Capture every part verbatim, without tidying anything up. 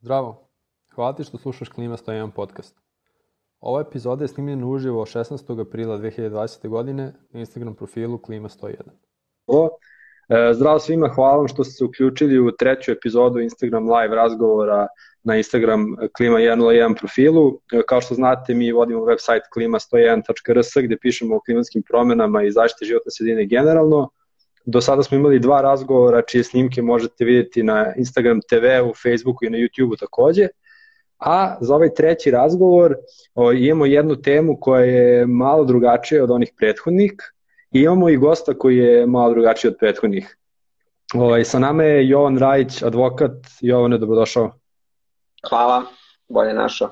Zdravo, hvala ti što slušaš Klima sto jedan podcast. Ova epizoda je snimljena uživo šesnaestog aprila dve hiljade dvadesete. godine na Instagram profilu Klima sto jedan. Zdravo svima, hvala vam što ste se uključili u treću epizodu Instagram live razgovora na Instagram Klima sto jedan profilu. Kao što znate, mi vodimo website klima sto jedan tačka r s gde pišemo o klimatskim promenama i zaštiti životne sredine generalno. Do sada smo imali dva razgovora čije snimke možete vidjeti na Instagram te ve-u, Facebooku i na YouTubeu takođe. A za ovaj treći razgovor o, imamo jednu temu koja je malo drugačija od onih prethodnih i imamo i gosta koji je malo drugačiji od prethodnih. O, sa nama je Jovan Rajić, advokat. Jovane, dobrodošao. Hvala, bolje našao.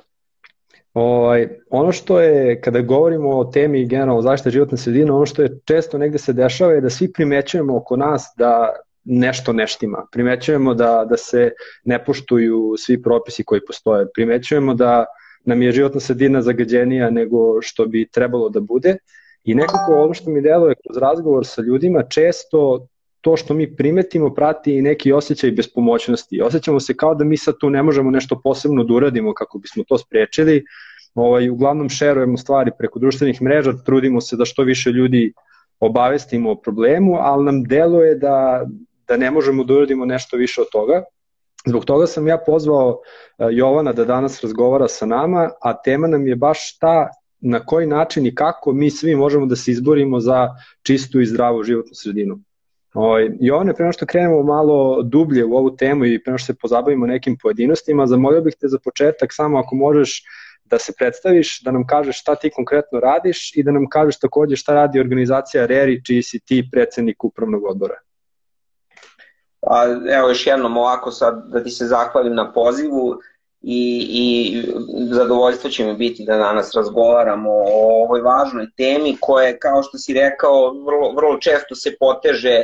O, ono što je, kada govorimo o temi generalno zaštite životne sredine, ono što je često negde se dešava je da svi primećujemo oko nas da nešto ne štima. Primećujemo da, da se ne poštuju svi propisi koji postoje. Primećujemo da nam je životna sredina zagađenija nego što bi trebalo da bude. I nekako ono što mi deluje kroz razgovor sa ljudima, često to što mi primetimo prati i neki osjećaj bespomoćnosti. Osjećamo se kao da mi sad tu ne možemo nešto posebno da uradimo kako bismo to sprečili. Ovaj, uglavnom šerujemo stvari preko društvenih mreža, trudimo se da što više ljudi obavestimo o problemu, ali nam deluje da, da ne možemo da uradimo nešto više od toga. Zbog toga sam ja pozvao Jovana da danas razgovara sa nama, a tema nam je baš ta na koji način i kako mi svi možemo da se izborimo za čistu i zdravu životnu sredinu. Jovane, pre nego što krenemo malo dublje u ovu temu i pre nego što se pozabavimo nekim pojedinostima, zamolio bih te za početak samo ako možeš da se predstaviš, da nam kažeš šta ti konkretno radiš i da nam kažeš takođe šta radi organizacija R E R I, čiji si ti predsednik upravnog odbora. A, evo još jednom ovako sad da ti se zahvalim na pozivu i, i zadovoljstvo će mi biti da danas razgovaramo o ovoj važnoj temi koja, kao što si rekao, vrlo, vrlo često se poteže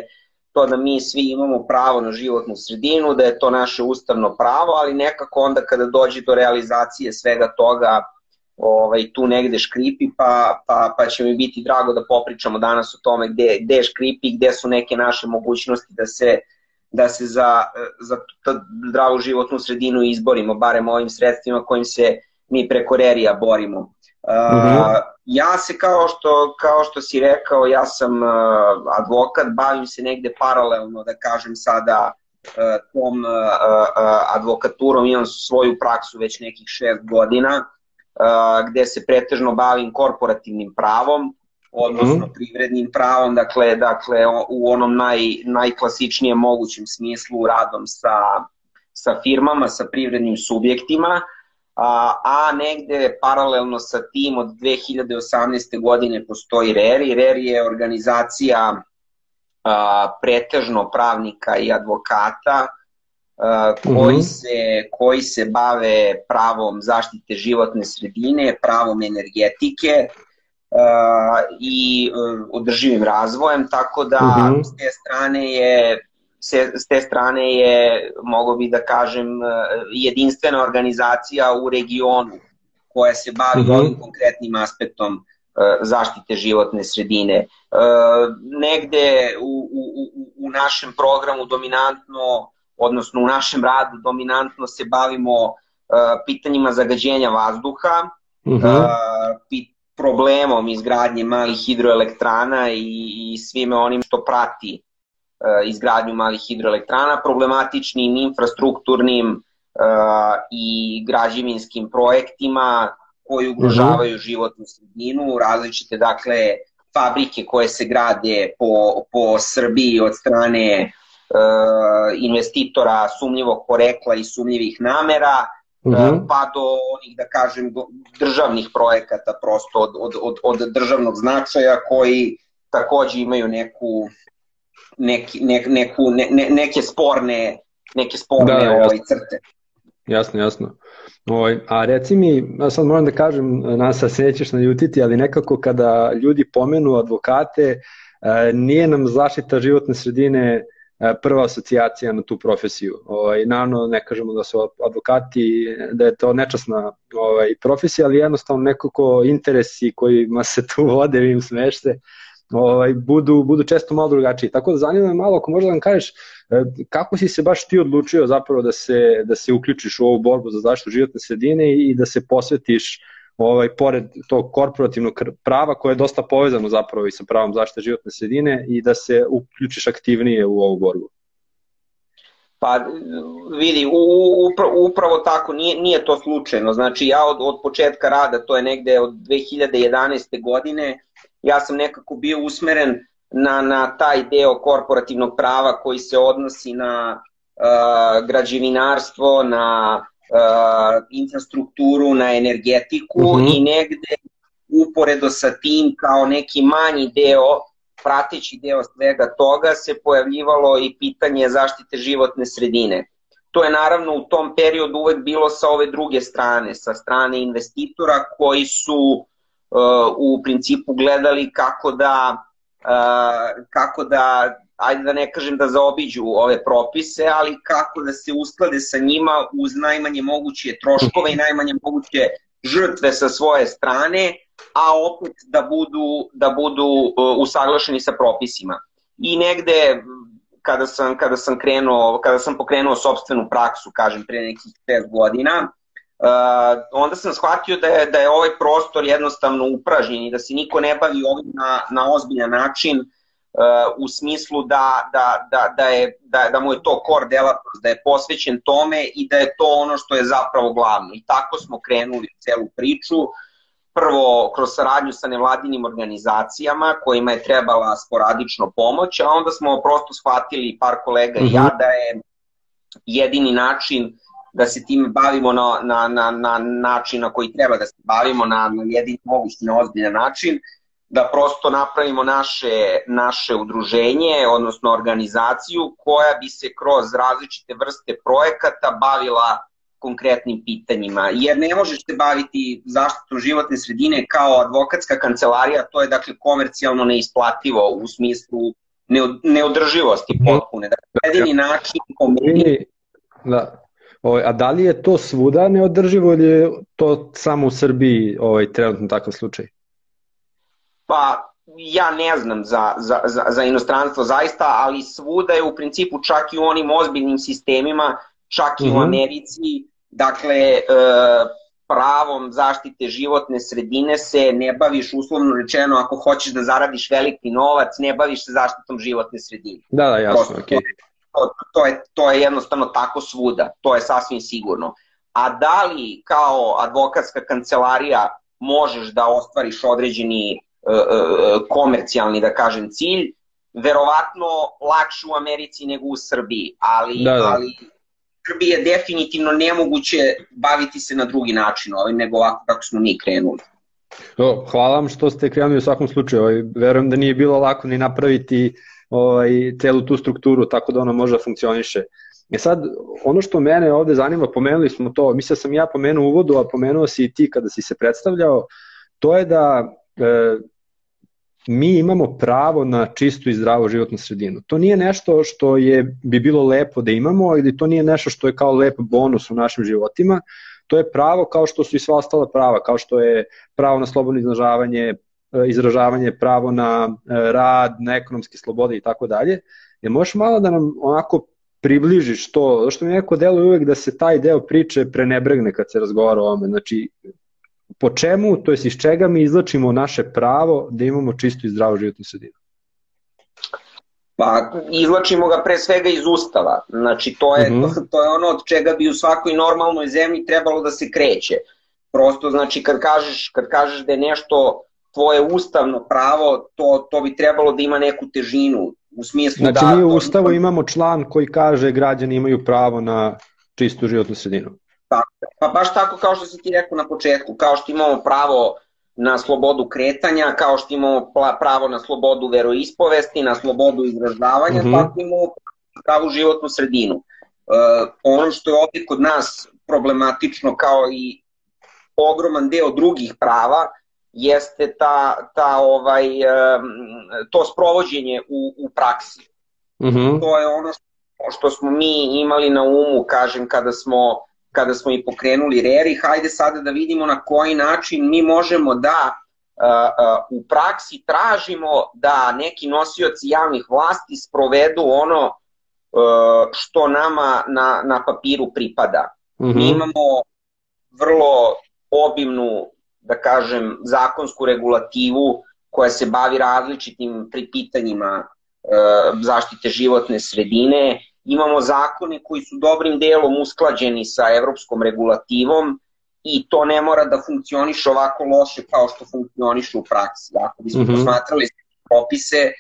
to da mi svi imamo pravo na životnu sredinu, da je to naše ustavno pravo, ali nekako onda kada dođe do realizacije svega toga ovaj, tu negde škripi, pa, pa, pa će mi biti drago da popričamo danas o tome gde, gde škripi, gde su neke naše mogućnosti da se, da se za, za zdravu životnu sredinu izborimo, barem ovim sredstvima kojim se mi preko R E R I-a borimo. Uh, ja se kao što, kao što si rekao, ja sam uh, advokat, bavim se negde paralelno, da kažem sada, uh, tom uh, uh, advokaturom, imam svoju praksu već nekih šest godina, uh, gde se pretežno bavim korporativnim pravom, odnosno mm. privrednim pravom, dakle, dakle u onom naj, najklasičnijem mogućem smislu radom sa, sa firmama, sa privrednim subjektima, A, a negde paralelno sa tim od dve hiljade osamnaeste. godine postoji R E R I. R E R I je organizacija a, pretežno pravnika i advokata a, koji, mm-hmm. se, koji se bave pravom zaštite životne sredine, pravom energetike a, i a, održivim razvojem, tako da mm-hmm. s te strane je S te strane je, mogu bi da kažem, jedinstvena organizacija u regionu koja se bavi mm-hmm. ovim konkretnim aspektom zaštite životne sredine. Negde u, u, u našem programu dominantno, odnosno u našem radu dominantno se bavimo pitanjima zagađenja vazduha, mm-hmm. problemom izgradnje malih hidroelektrana i, i svime onim što prati izgradnju malih hidroelektrana, problematičnim infrastrukturnim uh, i građevinskim projektima koji ugrožavaju mm-hmm. životnu sredinu, različite dakle fabrike koje se grade po, po Srbiji od strane uh, investitora sumnjivog porekla i sumnjivih namera, mm-hmm. uh, pa do onih, da kažem, državnih projekata prosto od, od, od, od državnog značaja koji takođe imaju neku Neki, ne, neku, ne, ne, neke sporne, neke sporne da, ovaj, crte. Jasno, jasno. Oj, a reci mi, ja sad moram da kažem, nas se nećeš naljutiti, ali nekako kada ljudi pomenu advokate, nije nam zaštita životne sredine prva asocijacija na tu profesiju. Ovaj, naravno, ne kažemo da su advokati, da je to nečasna ovaj, profesija, ali jednostavno nekako interesi kojima se tu vode, vi im smešte, ovaj, budu, budu često malo drugačiji. Tako da zanima me malo, ako možda da nam kažeš kako si se baš ti odlučio zapravo da se, da se uključiš u ovu borbu za zaštitu životne sredine i da se posvetiš ovaj, pored tog korporativnog prava koje je dosta povezano zapravo i sa pravom zaštite životne sredine i da se uključiš aktivnije u ovu borbu? Pa vidi, upravo, upravo tako, nije, nije to slučajno. Znači ja od, od početka rada, to je negde od dve hiljade jedanaeste godine, ja sam nekako bio usmeren na, na taj deo korporativnog prava koji se odnosi na uh, građevinarstvo, na uh, infrastrukturu, na energetiku uh-huh. i negde uporedo sa tim kao neki manji deo, prateći deo svega toga, se pojavljivalo i pitanje zaštite životne sredine. To je naravno u tom periodu uvek bilo sa ove druge strane, sa strane investitora koji su uh, u principu gledali kako da, uh, kako da, ajde da ne kažem da zaobiđu ove propise, ali kako da se usklade sa njima uz najmanje moguće troškove i najmanje moguće žrtve sa svoje strane, a opet da budu, da budu uh, usaglašeni sa propisima. I negde kada sam, kada sam krenuo, kada sam pokrenuo sopstvenu praksu, kažem pre nekih šest godina, uh, onda sam shvatio da je, da je ovaj prostor jednostavno upražnjen i da se niko ne bavi ovim na, na ozbiljan način, uh, u smislu da, da, da, da, je, da, da mu je to core delatnost, da je posvećen tome i da je to ono što je zapravo glavno. I tako smo krenuli u celu priču. Prvo kroz saradnju sa nevladinim organizacijama kojima je trebala sporadično pomoć, a onda smo prosto shvatili, par kolega i ja, da je jedini način da se time bavimo na, na, na, na način na koji treba da se bavimo, na, na jedini mogući, na ozbiljan način, da prosto napravimo naše, naše udruženje, odnosno organizaciju koja bi se kroz različite vrste projekata bavila konkretnim pitanjima, jer ne možeš se baviti zaštitom životne sredine kao advokatska kancelarija, to je dakle komercijalno neisplativo u smislu neodrživosti potpune. Dakle, jedini način komedije... Da. Ovaj, a da li je to svuda neodrživo ili je to samo u Srbiji ovaj, trenutno takav slučaj? Pa ja ne znam za, za, za, za inostranstvo zaista, ali svuda je u principu čak i u onim ozbiljnim sistemima, čak i mm-hmm. u Americi, dakle, e, pravom zaštite životne sredine se ne baviš, uslovno rečeno, ako hoćeš da zaradiš veliki novac, ne baviš se zaštitom životne sredine. Da, da, jasno, okej. Okay. To, to, je, to je jednostavno tako svuda, to je sasvim sigurno. A da li kao advokatska kancelarija možeš da ostvariš određeni e, e, komercijalni, da kažem, cilj, verovatno lakše u Americi nego u Srbiji, ali... Da, da. ali Srbiji je definitivno nemoguće baviti se na drugi način ovim nego ovako kako smo mi krenuli. O, hvala vam što ste krenuli u svakom slučaju. Ovaj, verujem da nije bilo lako ni napraviti ovaj, celu tu strukturu tako da ona može da funkcioniše. E sad, ono što mene ovde zanima, pomenuli smo to, mislim da sam ja pomenuo u uvodu, a pomenuo si i ti kada si se predstavljao, to je da e, mi imamo pravo na čistu i zdravu životnu sredinu. To nije nešto što je, bi bilo lepo da imamo ili to nije nešto što je kao lep bonus u našim životima. To je pravo kao što su i sva ostala prava, kao što je pravo na slobodno izražavanje, izražavanje, pravo na rad, na ekonomske slobode i tako dalje. Je možeš malo da nam onako približiš to, zato što mi neko deluje uvek da se taj deo priče prenebregne kad se razgovara o ovome. Znači, po čemu, to jest iz čega mi izlačimo naše pravo da imamo čistu i zdravu životnu sredinu? Pa, izlačimo ga pre svega iz Ustava. Znači, to je, uh-huh. to, to je ono od čega bi u svakoj normalnoj zemlji trebalo da se kreće. Prosto, znači, kad kažeš, kad kažeš da je nešto tvoje ustavno pravo, to, to bi trebalo da ima neku težinu. U smislu znači, da... mi u Ustavu imamo član koji kaže građani imaju pravo na čistu životnu sredinu. Pa baš tako kao što si ti rekao na početku, kao što imamo pravo na slobodu kretanja, kao što imamo pravo na slobodu veroispovesti, na slobodu izražavanja, mm-hmm. tako imamo pravu životnu sredinu. Uh, ono što je ovdje kod nas problematično kao i ogroman deo drugih prava jeste ta, ta ovaj, um, to sprovođenje u, u praksi. Mm-hmm. To je ono što, što smo mi imali na umu, kažem, kada smo kada smo i pokrenuli R E R I, hajde sada da vidimo na koji način mi možemo da u praksi tražimo da neki nosioci javnih vlasti sprovedu ono što nama na, na papiru pripada. Mm-hmm. Mi imamo vrlo obimnu, da kažem, zakonsku regulativu koja se bavi različitim pitanjima zaštite životne sredine. Imamo zakone koji su dobrim delom usklađeni sa evropskom regulativom i to ne mora da funkcioniše ovako loše kao što funkcioniše u praksi. Ako bismo mm-hmm. posmatrali propise,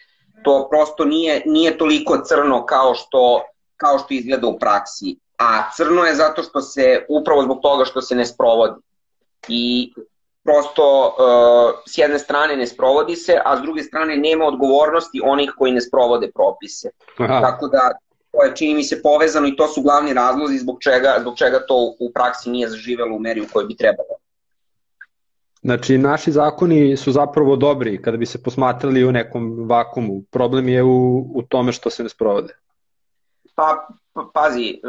to prosto nije, nije toliko crno kao što, kao što izgleda u praksi. A crno je zato što se, upravo zbog toga što se ne sprovodi. I prosto uh, s jedne strane ne sprovodi se, a s druge strane nema odgovornosti onih koji ne sprovode propise. Aha. Tako da to je, čini mi se, povezano i to su glavni razlozi zbog čega, zbog čega to u praksi nije zaživelo u meri u kojoj bi trebalo. Znači, naši zakoni su zapravo dobri kada bi se posmatrali u nekom vakumu. Problem je u, u tome što se ne sprovode. Pa, pazi,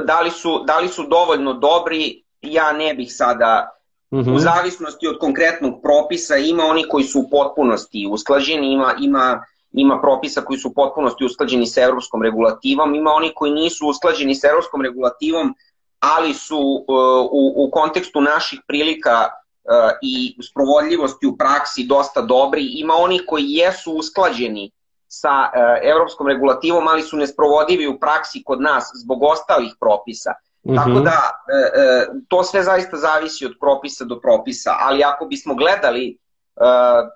da li su, da li su dovoljno dobri, ja ne bih sada, uh-huh. u zavisnosti od konkretnog propisa, ima oni koji su u potpunosti usklađeni, ima, ima, ima propisa koji su u potpunosti usklađeni sa evropskom regulativom, ima oni koji nisu usklađeni sa evropskom regulativom, ali su uh, u, u kontekstu naših prilika uh, i sprovodljivosti u praksi dosta dobri, ima oni koji jesu usklađeni sa uh, evropskom regulativom, ali su nesprovodivi u praksi kod nas zbog ostalih propisa. Mm-hmm. Tako da, e, to sve zaista zavisi od propisa do propisa, ali ako bismo gledali e,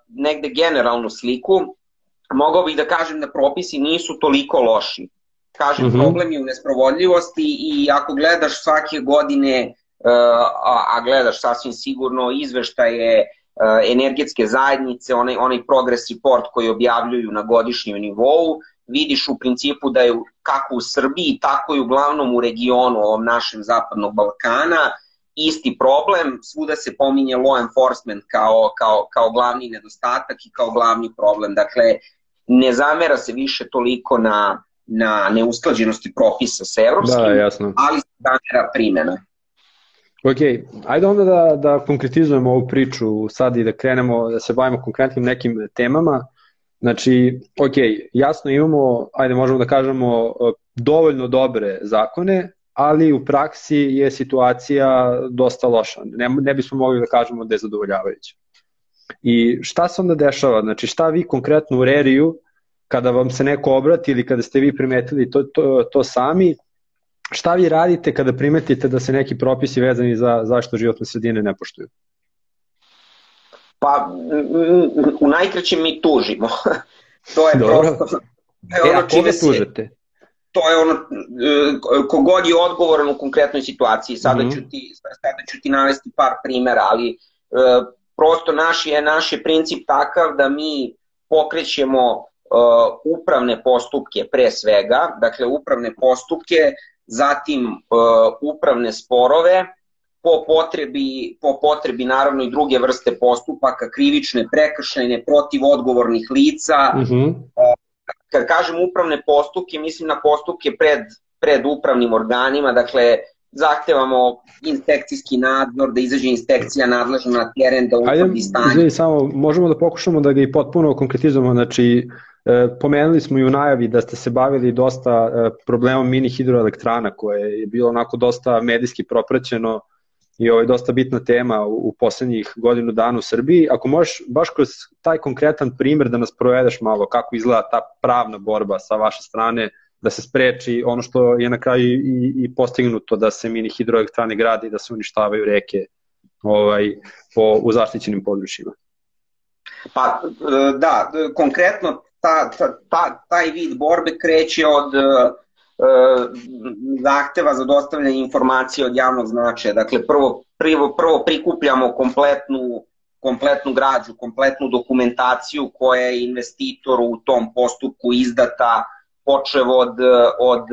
negde generalnu sliku, mogao bih da kažem da propisi nisu toliko loši. Kažem, mm-hmm. problem je u nesprovodljivosti i ako gledaš svake godine, e, a, a gledaš sasvim sigurno izveštaje e, energetske zajednice, onaj, onaj progress report koji objavljuju na godišnjem nivou, vidiš u principu da je kako u Srbiji, tako i uglavnom u regionu ovom našem zapadnog Balkana isti problem, svuda se pominje law enforcement kao, kao, kao glavni nedostatak i kao glavni problem. Dakle, ne zamera se više toliko na, na neusklađenosti propisa sa evropskim, da, jasno. Ali se zamera primjena. Ok, ajde onda da, da konkretizujemo ovu priču sad i da krenemo, da se bavimo konkretnim nekim temama. Znači, ok, jasno imamo, ajde možemo da kažemo, dovoljno dobre zakone, ali u praksi je situacija dosta loša. Ne, ne bismo mogli da kažemo da je zadovoljavajuća. I šta se onda dešava? Znači, šta vi konkretno u Reriju, kada vam se neko obrati ili kada ste vi primetili to, to, to sami, šta vi radite kada primetite da se neki propisi vezani za zaštitu životne sredine ne poštuju? Pa, u najkraćem mi tužimo. To je Dobro. prosto... E, ono a koga tužete? To je ono, kogod je odgovoran u konkretnoj situaciji. Sada, mm-hmm. ću, ti, sada ću ti navesti par primjera, ali prosto naš je, naš je princip takav da mi pokrećemo upravne postupke pre svega, dakle upravne postupke, zatim upravne sporove, po potrebi, po potrebi naravno i druge vrste postupaka, krivične, prekršajne, protiv odgovornih lica. Mm-hmm. Kad kažem upravne postupke, mislim na postupke pred, pred upravnim organima, dakle zahtevamo inspekcijski nadzor, da izađe inspekcija nadležna na teren, da utvrdi stanje. Ajde, samo možemo da pokušamo da ga i potpuno konkretizujemo, znači pomenuli smo i u najavi da ste se bavili dosta problemom mini hidroelektrana koje je bilo onako dosta medijski propraćeno i ovo je dosta bitna tema u poslednjih godinu dana u Srbiji. Ako možeš baš kroz taj konkretan primer da nas provedeš malo kako izgleda ta pravna borba sa vaše strane da se spreči ono što je na kraju i, i postignuto da se mini hidroelektrane grade i da se uništavaju reke ovaj, po, u zaštićenim područjima. Pa da, konkretno ta, ta, ta, taj vid borbe kreće od zahteva za dostavljanje informacije od javnog značaja. Dakle, prvo, prvo, prvo prikupljamo kompletnu, kompletnu građu, kompletnu dokumentaciju koja je investitoru u tom postupku izdata, počev od, od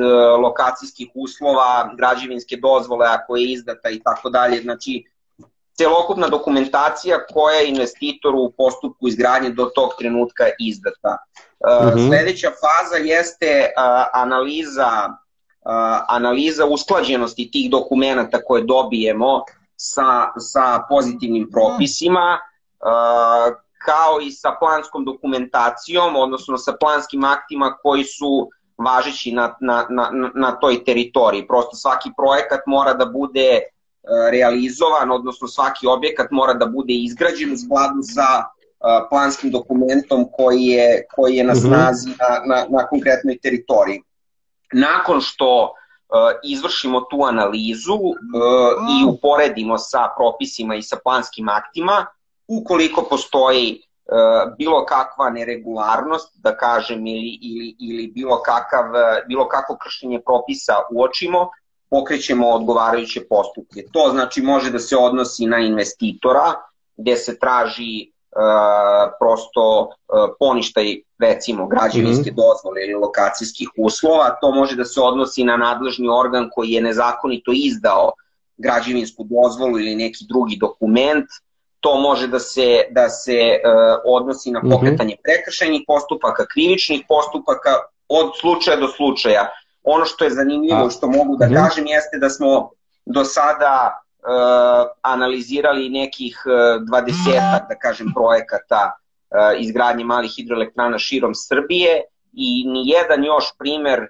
lokacijskih uslova, građevinske dozvole ako je izdata i tako dalje. Znači, celokupna dokumentacija koja je investitoru u postupku izgradnje do tog trenutka izdata. Uh-huh. Sledeća faza jeste uh, analiza, uh, analiza usklađenosti tih dokumenata koje dobijemo sa, sa pozitivnim propisima, kao i sa planskom dokumentacijom, odnosno sa planskim aktima koji su važeći na, na, na, na toj teritoriji. Prosto svaki projekat mora da bude realizovan, odnosno svaki objekat mora da bude izgrađen u skladu sa planskim dokumentom koji je, koji je na snazi na, na, na konkretnoj teritoriji. Nakon što izvršimo tu analizu i uporedimo sa propisima i sa planskim aktima, ukoliko postoji bilo kakva neregularnost, da kažem, ili, ili, ili bilo, kakav, bilo kakvo kršenje propisa uočimo, pokrećemo odgovarajuće postupke. To znači može da se odnosi na investitora, gde se traži Uh, prosto uh, poništaj recimo građevinske mm-hmm. dozvole ili lokacijskih uslova. To može da se odnosi na nadležni organ koji je nezakonito izdao građevinsku dozvolu ili neki drugi dokument. To može da se, da se uh, odnosi na pokretanje mm-hmm. prekršajnih postupaka, krivičnih postupaka, od slučaja do slučaja. Ono što je zanimljivo, što mogu da mm-hmm. kažem, jeste da smo do sada Uh, analizirali nekih dvadesetak, da kažem, projekata uh, izgradnje malih hidroelektrana širom Srbije i nijedan još primer uh,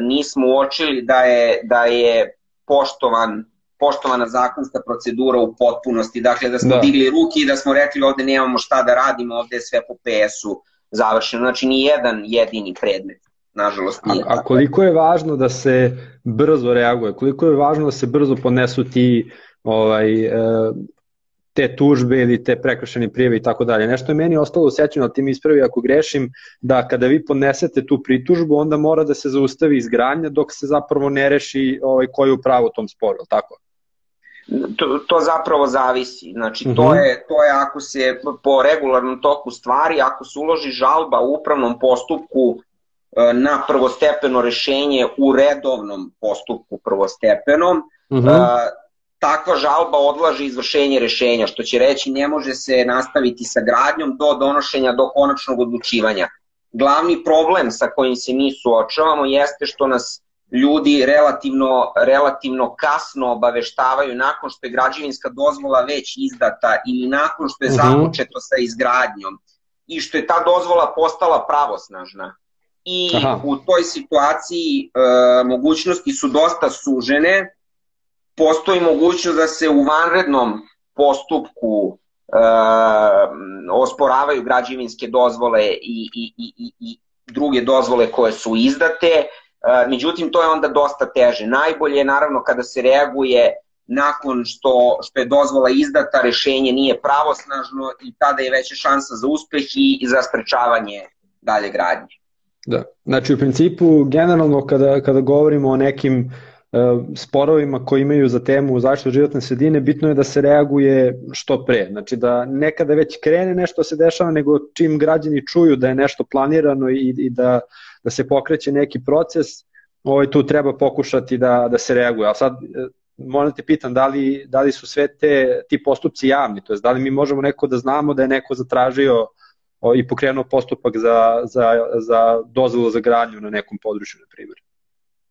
nismo uočili da je, da je poštovan, poštovana zakonska procedura u potpunosti. Dakle, da smo da. digli ruke i da smo rekli ovde nemamo šta da radimo, ovde je sve po P S-u završeno. Znači, nijedan jedini predmet. Nažalost, nije a, a koliko je važno da se brzo reaguje, koliko je važno da se brzo podnesu ti ovaj, te tužbe ili te prekršajne prijave i tako dalje. Nešto je meni ostalo u sećanju, ali ti mi ispravi ako grešim, da kada vi podnesete tu pritužbu, onda mora da se zaustavi izgradnja dok se zapravo ne reši ovaj, ko je u pravu u tom sporu, tako? To, to zapravo zavisi. Znači, uh-huh. to, je, to je ako se po regularnom toku stvari, ako se uloži žalba u upravnom postupku na prvostepeno rešenje u redovnom postupku prvostepenom, uh-huh. takva žalba odlaže izvršenje rešenja, što će reći ne može se nastaviti sa gradnjom do donošenja, do konačnog odlučivanja. Glavni problem sa kojim se mi suočavamo jeste što nas ljudi relativno, relativno kasno obaveštavaju nakon što je građevinska dozvola već izdata ili nakon što je uh-huh. započeto sa izgradnjom i što je ta dozvola postala pravosnažna. I Aha. u toj situaciji e, mogućnosti su dosta sužene. Postoji mogućnost da se u vanrednom postupku e, osporavaju građevinske dozvole i, i, i, i druge dozvole koje su izdate, e, međutim to je onda dosta teže. Najbolje je naravno kada se reaguje nakon što, što je dozvola izdata, rešenje nije pravosnažno i tada je veća šansa za uspeh i za sprečavanje dalje gradnje. Da, znači u principu generalno kada, kada govorimo o nekim uh, sporovima koji imaju za temu zaštitu životne sredine, bitno je da se reaguje što pre, znači da nekada već krene nešto se dešava, nego čim građani čuju da je nešto planirano i, i da, da se pokreće neki proces, ovaj, tu treba pokušati da, da se reaguje. A sad moram da te pitam, da li, da li su sve te, ti postupci javni, to jest da li mi možemo neko da znamo da je neko zatražio i pokrenuo postupak za, za, za dozvolu za gradnju na nekom području, na primjer?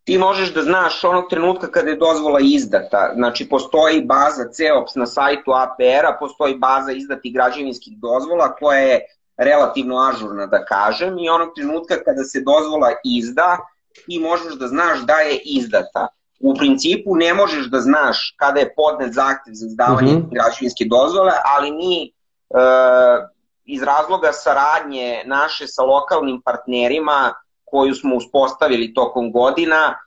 Ti možeš da znaš onog trenutka kada je dozvola izdata. Znači, postoji baza C E O P S na sajtu A P R-a, postoji baza izdatih građevinskih dozvola koja je relativno ažurna, da kažem, i onog trenutka kada se dozvola izda, ti možeš da znaš da je izdata. U principu ne možeš da znaš kada je podnet zahtev za izdavanje uh-huh. građevinske dozvole, ali mi e, iz razloga saradnje naše sa lokalnim partnerima koju smo uspostavili tokom godina,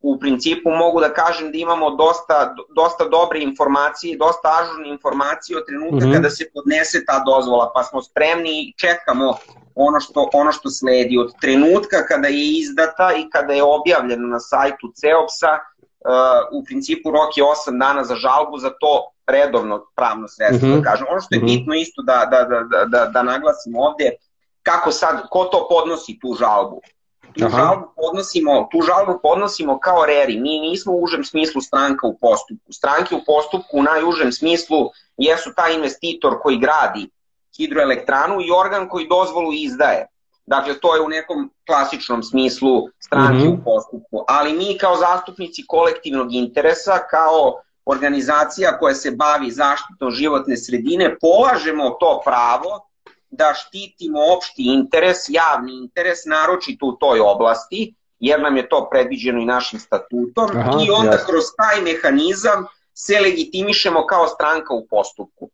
u principu mogu da kažem da imamo dosta, dosta dobre informacije, dosta ažurne informacije od trenutka mm-hmm. kada se podnese ta dozvola, pa smo spremni i čekamo ono što, ono što sledi. Od trenutka kada je izdata i kada je objavljeno na sajtu C E O P S-a, uh, u principu rok je osam dana za žalbu, za to redovno pravno sredstvo, mm-hmm. da kažem. Ono što je bitno isto da, da, da, da, da naglasim ovde, kako sad, ko to podnosi tu žalbu? Tu žalbu, podnosimo, tu žalbu podnosimo kao R E R I, mi nismo u užem smislu stranka u postupku. Stranke u postupku u najužem smislu jesu taj investitor koji gradi hidroelektranu i organ koji dozvolu izdaje. Dakle, to je u nekom klasičnom smislu stranke mm-hmm. u postupku. Ali mi kao zastupnici kolektivnog interesa, kao organizacija koja se bavi zaštitom životne sredine, polažemo to pravo da štitimo opšti interes, javni interes, naročito u toj oblasti, jer nam je to predviđeno i našim statutom. Aha, i onda jasno. Kroz taj mehanizam se legitimišemo kao stranka u postupku.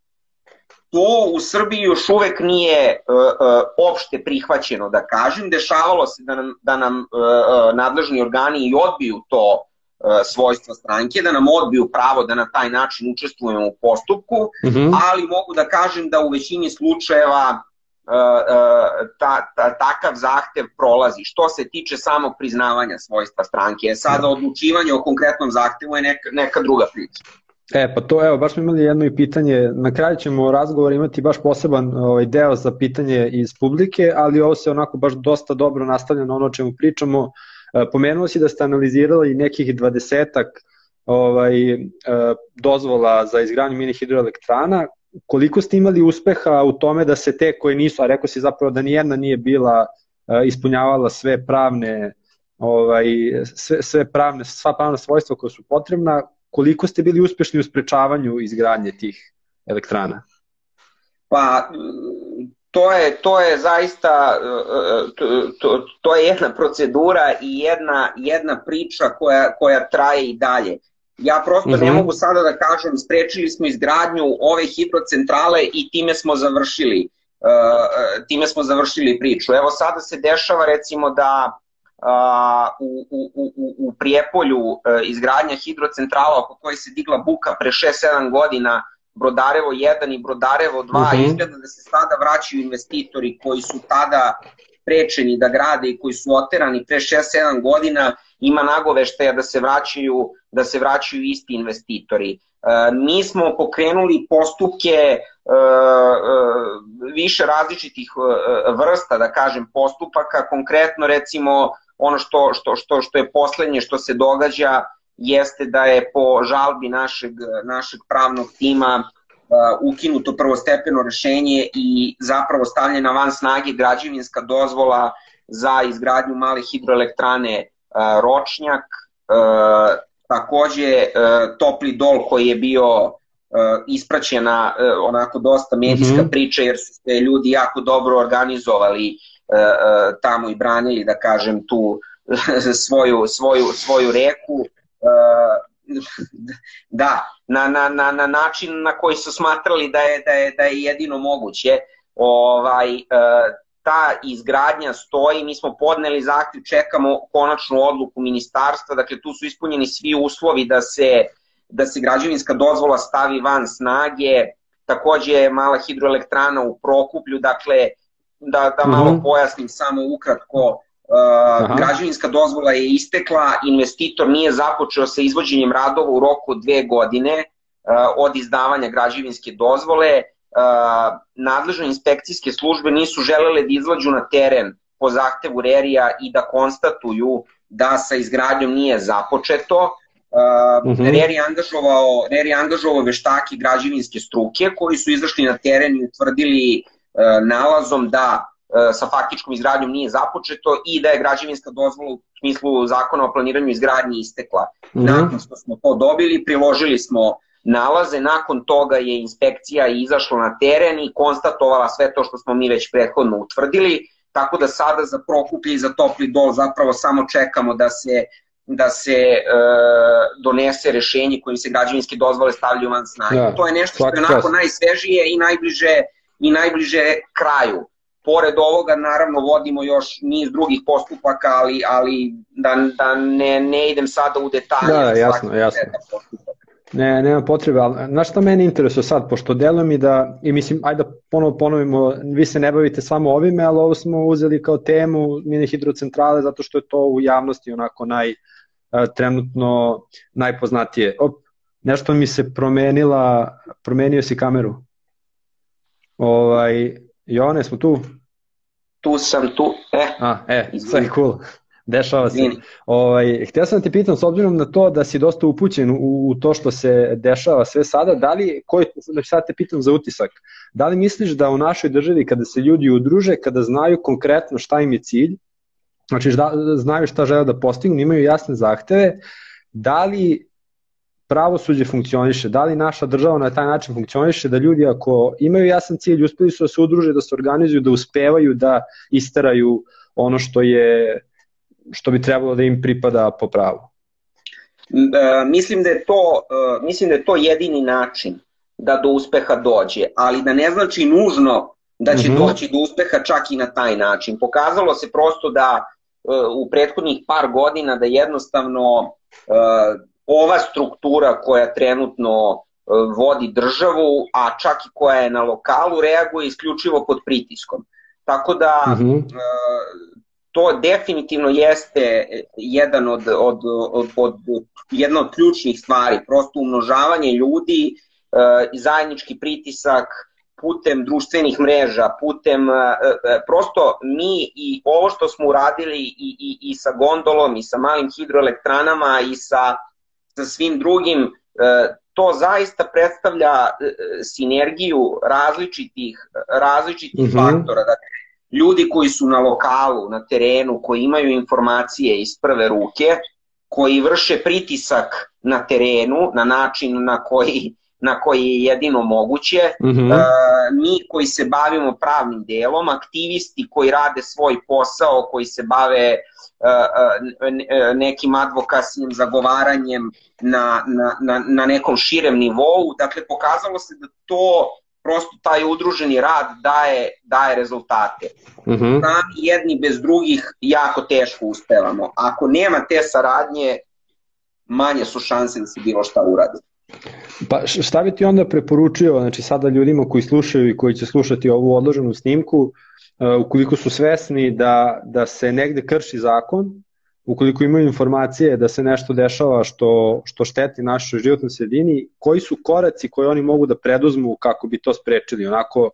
To u Srbiji još uvek nije uh, uh, opšte prihvaćeno, da kažem. Dešavalo se da nam, da nam uh, nadležni organi i odbiju to uh, svojstvo stranke, da nam odbiju pravo da na taj način učestvujemo u postupku, mm-hmm. ali mogu da kažem da u većini slučajeva uh, uh, ta, ta, takav zahtev prolazi. Što se tiče samog priznavanja svojstva stranke, sada odlučivanje o konkretnom zahtevu je neka, neka druga priča. E, pa to, evo, baš smo imali jedno i pitanje, na kraju ćemo razgovor imati baš poseban ovaj, deo za pitanje iz publike, ali ovo se onako baš dosta dobro nastavlja na ono o čemu pričamo. E, pomenuo si da ste analizirali nekih dvadesetak ovaj, e, dozvola za izgradnju mini hidroelektrana. Koliko ste imali uspeha u tome da se te koje nisu, a rekao si zapravo da nijedna nije bila e, ispunjavala sve pravne, ovaj, sve, sve pravne, sva pravna svojstva koja su potrebna, koliko ste bili uspešni u sprečavanju izgradnje tih elektrana? Pa, to je, to je zaista, to, to, to je jedna procedura i jedna, jedna priča koja, koja traje i dalje. Ja prosto uh-huh. ne mogu sada da kažem, sprečili smo izgradnju ove hidrocentrale i time smo završili, uh, time smo završili priču. Evo sada se dešava recimo da Uh, u, u, u, u Prijepolju uh, izgradnja hidrocentrala oko koje se digla buka pre šest sedam godina, Brodarevo jedan i Brodarevo dva, uh-huh. izgleda da se sada vraćaju investitori koji su tada sprečeni da grade i koji su oterani pre šest sedam godina, ima nagoveštaja da se vraćaju, da se vraćaju isti investitori. Uh, mi smo pokrenuli postupke uh, uh, više različitih uh, vrsta, da kažem, postupaka, konkretno recimo ono što, što, što, što je poslednje što se događa jeste da je po žalbi našeg, našeg pravnog tima uh, ukinuto prvostepeno rešenje i zapravo stavljena van snage građevinska dozvola za izgradnju male hidroelektrane uh, Ročnjak. Uh, takođe uh, topli dol koji je bio uh, ispraćena uh, onako dosta medijska mm-hmm. priča jer su se ljudi jako dobro organizovali tamo i branili, da kažem, tu svoju, svoju, svoju reku. Da, na, na, na, na način na koji su smatrali da je, da je, da je jedino moguće. Ovaj, ta izgradnja stoji, mi smo podneli zahtev, čekamo konačnu odluku ministarstva, dakle tu su ispunjeni svi uslovi da se, da se građevinska dozvola stavi van snage. Takođe je mala hidroelektrana u Prokuplju, dakle da, da malo uh-huh. pojasnim samo ukratko, uh, građevinska dozvola je istekla, investitor nije započeo sa izvođenjem radova u roku od dve godine uh, od izdavanja građevinske dozvole, uh, nadležne inspekcijske službe nisu želele da izlađu na teren po zahtevu RERI-a i da konstatuju da sa izgradnjom nije započeto. Uh, uh-huh. RERI angažovao, RERI angažovao veštake građevinske struke koji su izašli na teren i utvrdili nalazom da sa faktičkom izgradnjom nije započeto i da je građevinska dozvola u smislu zakona o planiranju izgradnje istekla. Mm-hmm. Nakon što smo to dobili, priložili smo nalaze, nakon toga je inspekcija izašla na teren i konstatovala sve to što smo mi već prethodno utvrdili, tako da sada za Prokuplje i za Topli dol zapravo samo čekamo da se da se e, donese rešenje kojim se građevinske dozvole stavljaju van snage. Ja, to je nešto što je onako najsvežije i najbliže i najbliže kraju. Pored ovoga, naravno, vodimo još niz drugih postupaka, ali, ali da, da ne, ne idem sada u detalje. Da, jasno, jasno. Ne, nema potrebe, ali znaš šta mene interesuje sad, pošto delujem i da, i mislim, ajde da ponovo ponovimo, vi se ne bavite samo ovime, ali ovo smo uzeli kao temu mini hidrocentrale, zato što je to u javnosti onako naj, trenutno najpoznatije. Op, nešto mi se promenila, promenio si kameru. Ovaj, Jovane, smo tu? Tu sam, tu, e. A, e, sve je cool, dešava se. Ovaj, htio sam da te pitam, s obzirom na to da si dosta upućen u, u to što se dešava sve sada, da li, koji, sad te pitam za utisak, da li misliš da u našoj državi kada se ljudi udruže, kada znaju konkretno šta im je cilj, znači da, znaju šta žele da postignu, imaju jasne zahteve, da li pravosuđe funkcioniše, da li naša država na taj način funkcioniše, da ljudi ako imaju jasan cilj, uspeli su da se udruže, da se organizuju, da uspevaju da isteraju ono što je, što bi trebalo da im pripada po pravu. Uh, mislim da je to, uh, mislim da je to jedini način da do uspeha dođe, ali da ne znači nužno da će mm-hmm. doći do uspeha čak i na taj način. Pokazalo se prosto da uh, u prethodnih par godina da jednostavno uh, ova struktura koja trenutno uh, vodi državu, a čak i koja je na lokalu, reaguje isključivo pod pritiskom. Tako da mm-hmm. uh, to definitivno jeste jedan od, od, od, od, jedna od ključnih stvari, prosto umnožavanje ljudi, zajednički pritisak putem društvenih mreža, putem prosto mi i ovo što smo uradili i, i, i sa gondolom i sa malim hidroelektranama i sa, sa svim drugim, to zaista predstavlja sinergiju različitih, različitih mm-hmm. faktora. Dakle, ljudi koji su na lokalu, na terenu, koji imaju informacije iz prve ruke, koji vrše pritisak na terenu na način na koji, na koji je jedino moguće, mm-hmm. uh, mi koji se bavimo pravnim delom, aktivisti koji rade svoj posao, koji se bave uh, uh, nekim advokasnim zagovaranjem na, na, na, na nekom širem nivou. Dakle, pokazalo se da to prosto taj udruženi rad daje, daje rezultate. Mm-hmm. Sami jedni bez drugih jako teško uspevamo. Ako nema te saradnje, manje su šanse da se bilo šta uradi. Pa šta bi ti onda preporučio, znači sada ljudima koji slušaju i koji će slušati ovu odloženu snimku, uh, ukoliko su svesni da, da se negde krši zakon, ukoliko imaju informacije da se nešto dešava što, što šteti našoj životnoj sredini, koji su koraci koje oni mogu da preduzmu kako bi to sprečili? Onako,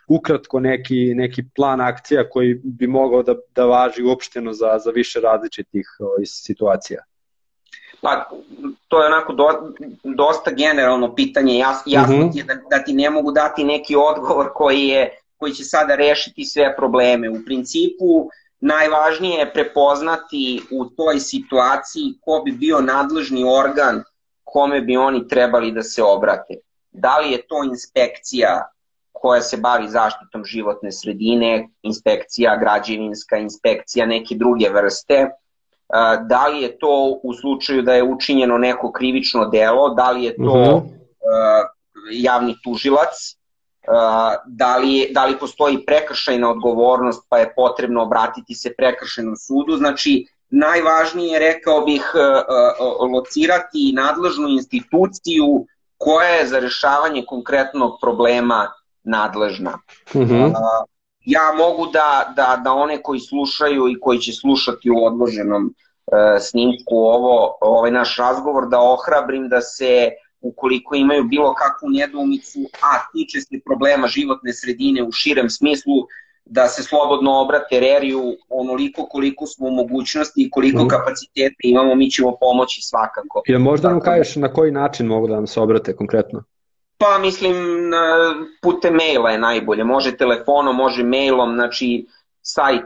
ukratko neki, neki plan akcija koji bi mogao da, da važi uopšteno za, za više različitih o, situacija. Pa, to je onako do, dosta generalno pitanje, Jas, jasno mm-hmm. ti je da, da ti ne mogu dati neki odgovor koji, je, koji će sada rešiti sve probleme. U principu, najvažnije je prepoznati u toj situaciji ko bi bio nadležni organ kome bi oni trebali da se obrate. Da li je to inspekcija koja se bavi zaštitom životne sredine, inspekcija građevinska, inspekcija neke druge vrste, da li je to u slučaju da je učinjeno neko krivično delo, da li je to uh-huh. javni tužilac, da li, da li postoji prekršajna odgovornost pa je potrebno obratiti se prekršajnom sudu. Znači, najvažnije, rekao bih, locirati nadležnu instituciju koja je za rešavanje konkretnog problema nadležna. Uh-huh. Ja mogu da, da, da one koji slušaju i koji će slušati u odloženom e, snimku ovo, ovaj naš razgovor, da ohrabrim da se, ukoliko imaju bilo kakvu nedoumicu, a tiče se problema životne sredine u širem smislu, da se slobodno obrate Reriju onoliko koliko smo u mogućnosti i koliko mm. kapaciteta imamo, mi ćemo pomoći svakako. Jel možda nam kažeš na koji način mogu da nam se obrate konkretno? Pa mislim, putem maila je najbolje, može telefonom, može mailom, znači sajt,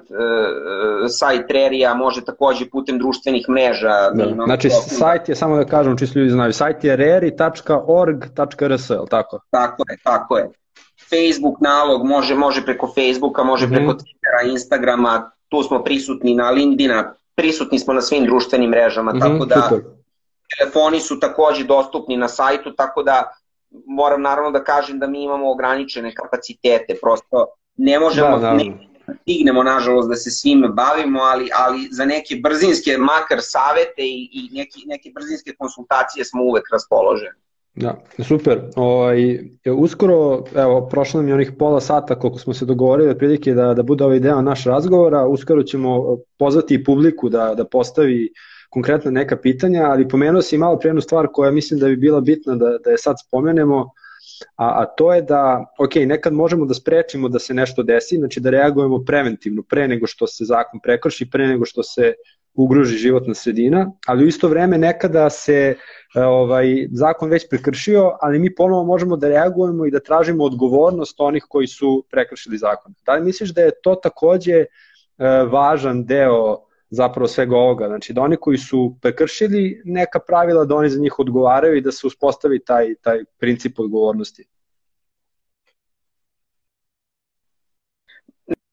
sajt Rerija, može takođe putem društvenih mreža. Da. Znači sajt je, samo da kažem, čisto ljudi znaju, sajt je reri tačka org tačka r s, ali tako? Tako je, tako je. Facebook nalog, može, može preko Facebooka, može preko mm-hmm. Twittera, Instagrama, tu smo prisutni na LinkedIna, prisutni smo na svim društvenim mrežama, mm-hmm, tako da super. Telefoni su takođe dostupni na sajtu, tako da moram naravno da kažem da mi imamo ograničene kapacitete, prosto ne možemo, da, ne stignemo nažalost da se svime bavimo, ali, ali za neke brzinske, makar savete i, i neke, neke brzinske konsultacije smo uvek raspoloženi. Da, super. O, uskoro, evo, prošlo nam je onih pola sata koliko smo se dogovorili otprilike da, da bude ovaj deo naš razgovora, uskoro ćemo pozvati i publiku da, da postavi konkretno neka pitanja, ali pomenuo si malo pre jednu stvar koja mislim da bi bila bitna da, da je sad spomenemo, a, a to je da, ok, nekad možemo da sprečimo da se nešto desi, znači da reagujemo preventivno pre nego što se zakon prekrši, pre nego što se ugroži životna sredina, ali u isto vreme nekada se ovaj, zakon već prekršio, ali mi ponovo možemo da reagujemo i da tražimo odgovornost onih koji su prekršili zakon. Da li misliš da je to takođe važan deo zapravo svega ovoga. Znači da oni koji su prekršili neka pravila, da oni za njih odgovaraju i da se uspostavi taj, taj princip odgovornosti.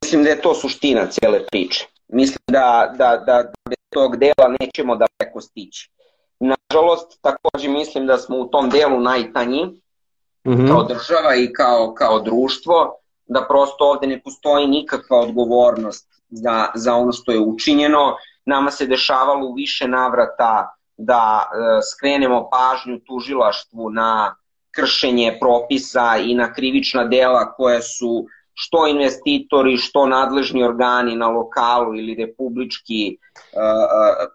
Mislim da je to suština cijele priče. Mislim da, da, da, da bez tog dela nećemo daleko stići. Nažalost, takođe mislim da smo u tom delu najtanji, mm-hmm. kao država i kao, kao društvo, da prosto ovde ne postoji nikakva odgovornost za, za ono što je učinjeno. Nama se dešavalo u više navrata da e, skrenemo pažnju tužilaštvu na kršenje propisa i na krivična dela koje su što investitori, što nadležni organi na lokalu ili republički uh,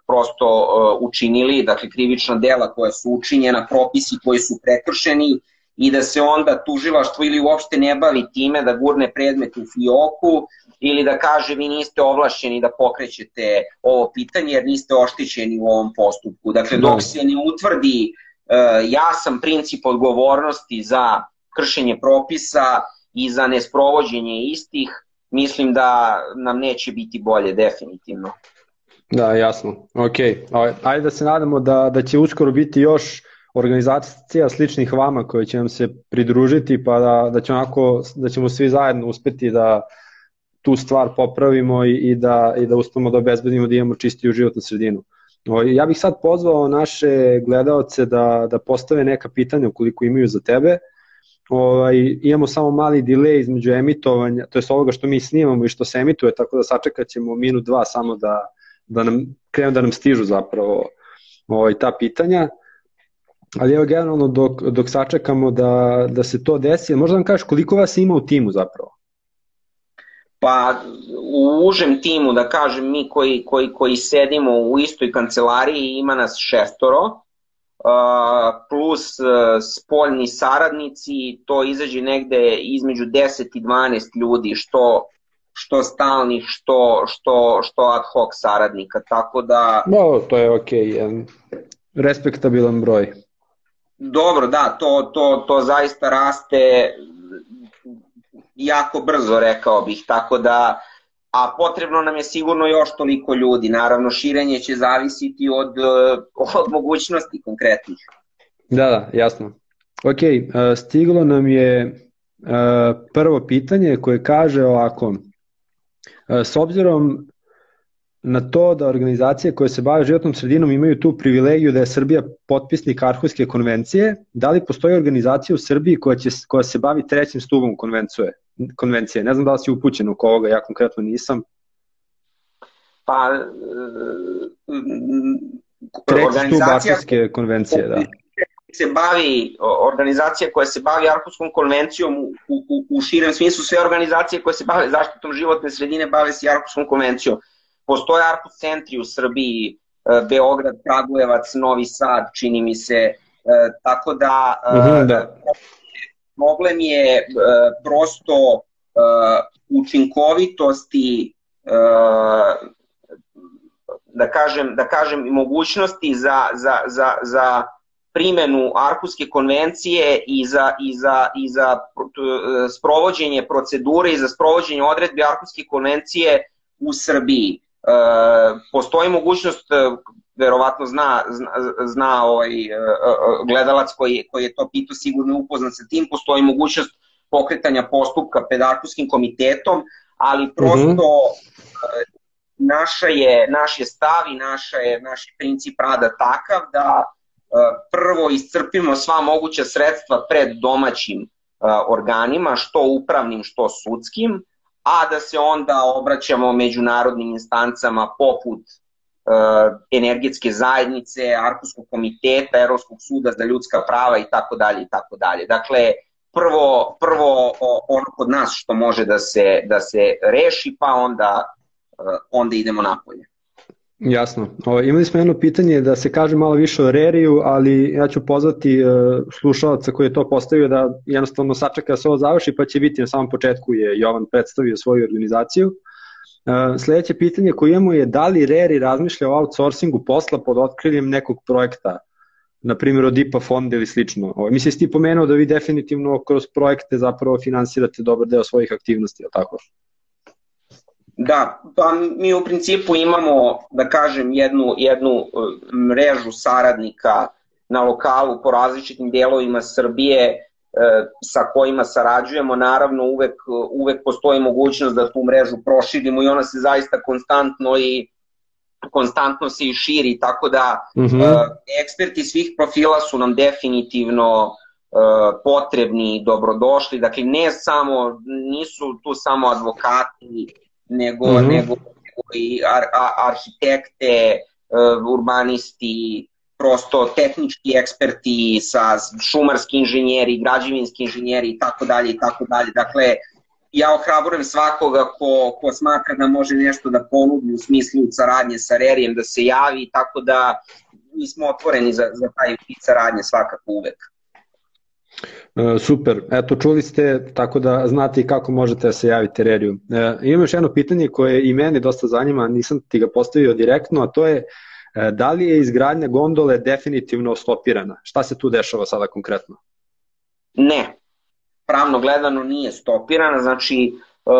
prosto uh, učinili, dakle krivična dela koja su učinjena, propisi koji su prekršeni i da se onda tužilaštvo ili uopšte ne bavi time da gurne predmet u fioku ili da kaže vi niste ovlašćeni da pokrećete ovo pitanje jer niste oštećeni u ovom postupku. Dakle, dok se ne utvrdi uh, jasan princip odgovornosti za kršenje propisa i za nesprovođenje istih, mislim da nam neće biti bolje, definitivno. Da, jasno. Ok, ajde da se nadamo da, da će uskoro biti još organizacija sličnih vama koje će nam se pridružiti, pa da, da, će onako, da ćemo svi zajedno uspeti da tu stvar popravimo i, i, da, i da uspemo da obezbedimo da imamo čistiju životnu sredinu. Ja bih sad pozvao naše gledaoce da, da postave neka pitanja ukoliko imaju za tebe. Ovaj, imamo samo mali delay između emitovanja, to je ovoga što mi snimamo i što se emituje, tako da sačekat ćemo minut, dva samo da, da nam krenu da nam stižu zapravo ovaj, ta pitanja. Ali evo generalno dok, dok sačekamo da, da se to desi, možda nam kažeš koliko vas ima u timu zapravo? Pa u užem timu, da kažem, mi koji, koji, koji sedimo u istoj kancelariji ima nas šestoro, Uh, plus uh, spoljni saradnici, to izađe negde između deset i dvanaest ljudi, što, što stalnih, što, što, što ad hoc saradnika, tako da... No, to je ok, jedan respektabilan broj. Dobro, da, to, to, to zaista raste jako brzo, rekao bih, tako da, a potrebno nam je sigurno još toliko ljudi. Naravno, širenje će zavisiti od, od mogućnosti konkretnih. Da, da, jasno. Ok, stiglo nam je prvo pitanje koje kaže ovako. S obzirom na to da organizacije koje se bave životnom sredinom imaju tu privilegiju da je Srbija potpisnik Arhuske konvencije, da li postoji organizacija u Srbiji koja, će, koja se bavi trećim stubom konvencije? konvencije. Ne znam da li si upućen oko ovoga, ja konkretno nisam. Pa, treći stub Arhuske konvencije, da. Se bavi, organizacija koja se bavi Arhuskom konvencijom u, u, u širem smislu, sve organizacije koje se bave zaštitom životne sredine bave se Arhuskom konvencijom. Postoje Arhus centri u Srbiji, Beograd, Kragujevac, Novi Sad, čini mi se, tako da... Uh-huh, da. Problem je uh, prosto uh, učinkovitosti, uh, da kažem, da kažem mogućnosti za, za, za, za primjenu Arhuske konvencije i za, i za, i za uh, sprovođenje procedure i za sprovođenje odredbi Arhuske konvencije u Srbiji. Uh, postoji mogućnost, uh, verovatno zna, zna, zna ovaj gledalac koji, koji je to pitao, sigurno upoznan sa tim, postoji mogućnost pokretanja postupka pred Arhuskim komitetom, ali prosto mm-hmm. naša je, naš je stav i naša je, naš je princip rada takav da prvo iscrpimo sva moguća sredstva pred domaćim organima, što upravnim, što sudskim, a da se onda obraćamo međunarodnim instancama poput energetske zajednice, Arhuskog komiteta, Evropskog suda za ljudska prava i tako dalje i tako dalje. Dakle, prvo, prvo ono kod nas što može da se, da se reši, pa onda, onda idemo napolje. Jasno. O, imali smo jedno pitanje da se kaže malo više o Reriju, ali ja ću pozvati uh, slušalca koji je to postavio da jednostavno sačeka da se ovo završi, pa će biti na samom početku je Jovan predstavio svoju organizaciju. Uh, sledeće pitanje koje imamo je da li Reri razmišlja o outsourcingu posla pod otkriljem nekog projekta, na primjer od I P A fonda ili slično. O, mislim, si ti pomenuo da vi definitivno kroz projekte zapravo finansirate dobar deo svojih aktivnosti, je li tako? Da, pa mi u principu imamo, da kažem, jednu, jednu mrežu saradnika na lokalu po različitim dijelovima Srbije sa kojima sarađujemo. Naravno, uvek, uvek postoji mogućnost da tu mrežu proširimo i ona se zaista konstantno i konstantno se i širi, tako da mm-hmm. eksperti svih profila su nam definitivno potrebni i dobrodošli. Dakle, ne samo, nisu tu samo advokati, nego, mm-hmm. nego, nego i ar, a, arhitekte, urbanisti, prosto tehnički eksperti, sa šumarski inženjeri, građevinski inženjeri i tako dalje i tako dalje. Dakle, ja ohrabrujem svakoga ko, ko smatra da može nešto da ponudi u smislu saradnje sa Rerijem da se javi, tako da mi smo otvoreni za, za taj vid saradnje svakako uvek. Super, eto čuli ste, tako da znate i kako možete da se javite Reriju. E, imam još jedno pitanje koje i meni dosta zanima, nisam ti ga postavio direktno, a to je e, da li je izgradnja gondole definitivno stopirana? Šta se tu dešava sada konkretno? Ne, pravno gledano nije stopirana, znači e,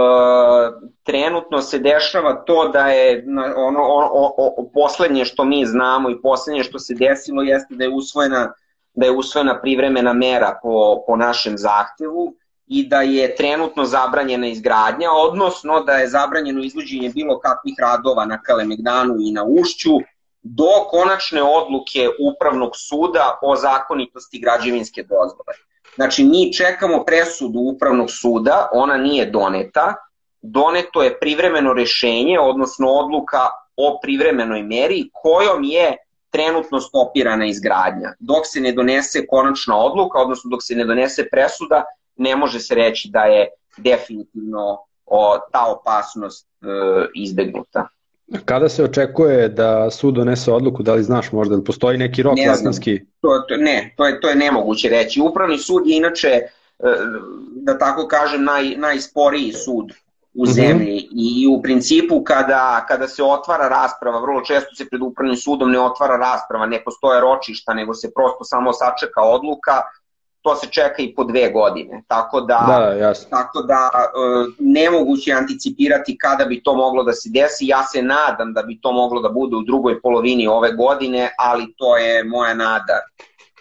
trenutno se dešava to da je ono, o, o, o, poslednje što mi znamo i poslednje što se desilo jeste da je usvojena da je usvojena privremena mera po, po našem zahtevu i da je trenutno zabranjena izgradnja, odnosno da je zabranjeno izvođenje bilo kakvih radova na Kalemegdanu i na Ušću do konačne odluke Upravnog suda o zakonitosti građevinske dozvole. Znači, mi čekamo presudu Upravnog suda, ona nije doneta, doneto je privremeno rešenje, odnosno odluka o privremenoj meri kojom je trenutno stopirana izgradnja. Dok se ne donese konačna odluka, odnosno dok se ne donese presuda, ne može se reći da je definitivno o, ta opasnost e, izbegnuta. Kada se očekuje da sud donese odluku, da li znaš možda, da postoji neki rok zakonski? To, to, ne, to je, to je nemoguće reći. Upravni sud je inače, e, da tako kažem, naj, najsporiji sud u zemlji mm-hmm. i u principu kada, kada se otvara rasprava, vrlo često se pred upravnim sudom ne otvara rasprava, ne postoje ročišta, nego se prosto samo sačeka odluka, to se čeka i po dve godine. Tako da, da, jasno. Tako da e, nemoguće je anticipirati kada bi to moglo da se desi. Ja se nadam da bi to moglo da bude u drugoj polovini ove godine, ali to je moja nada.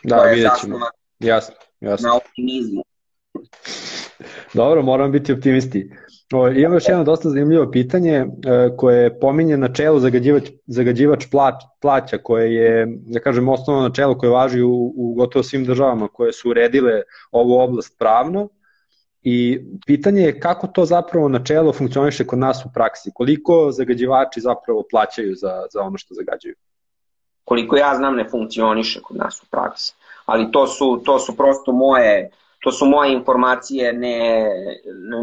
Da, vidjet ćemo. Jasno, jasno. Na optimizmu. Dobro, moram biti optimisti. O, imam još jedno dosta zanimljivo pitanje e, koje pominje načelo zagađivač, zagađivač plać, plaća, koje je, da kažem, osnovno načelo koje važi u, u gotovo svim državama koje su uredile ovu oblast pravno. I pitanje je kako to zapravo načelo funkcioniše kod nas u praksi, koliko zagađivači zapravo plaćaju za, za ono što zagađuju? Koliko ja znam ne funkcioniše kod nas u praksi, ali to su, to su prosto moje... To su moje informacije, ne,